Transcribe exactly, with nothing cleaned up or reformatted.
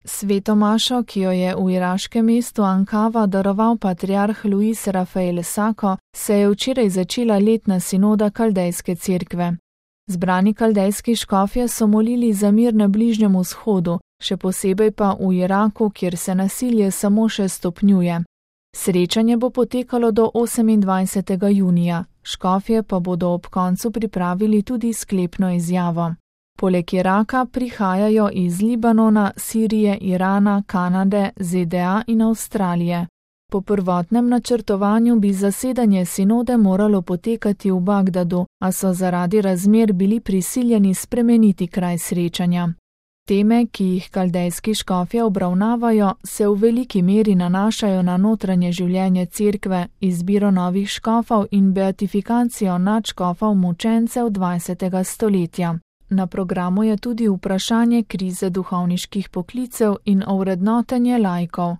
Sveto mašo, ki jo je v iraškem mestu Ankava daroval patriarh Luis Rafael Sako, se je včeraj začela letna sinoda Kaldejske cerkve. Zbrani kaldejski škofje so molili za mir na Bližnjem vzhodu, še posebej pa v Iraku, kjer se nasilje samo še stopnjuje. Srečanje bo potekalo do osemindvajsetega junija, škofje pa bodo ob koncu pripravili tudi sklepno izjavo. Poleg Iraka prihajajo iz Libanona, Sirije, Irana, Kanade, Z D A in Avstralije. Po prvotnem načrtovanju bi zasedanje sinode moralo potekati v Bagdadu, a so zaradi razmer bili prisiljeni spremeniti kraj srečanja. Teme, ki jih kaldejski škofje obravnavajo, se v veliki meri nanašajo na notranje življenje cerkve, izbiro novih škofov in beatifikacijo nadškofov mučencev dvajsetega stoletja. Na programu je tudi vprašanje krize duhovniških poklicev in ovrednotenje laikov.